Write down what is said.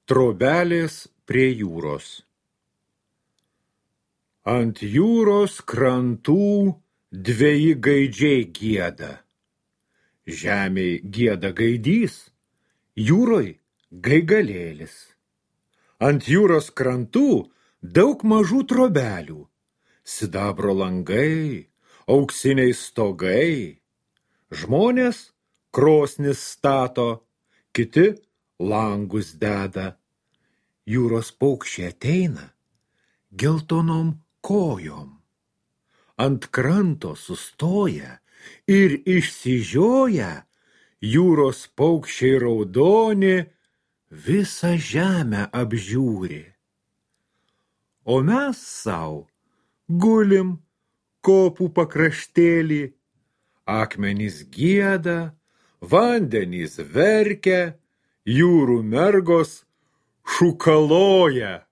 Trobelės prie jūros. Ant jūros krantų dveji gaidžiai gieda. Žemėj gieda gaidys, jūroj gaigalėlis. Ant jūros krantų daug mažų trobelių, sidabro langai, auksiniai stogai. Žmonės krosnis stato, kiti langus deda. Jūros paukščiai ateina geltonom kojom. Ant kranto sustoja ir išsižioja, jūros paukščiai raudoni visą žemę apžiūri. O mes sau gulim kopų pakraštėlį, akmenys gieda, vandenys verkia, jūrų mergos šūkaloja.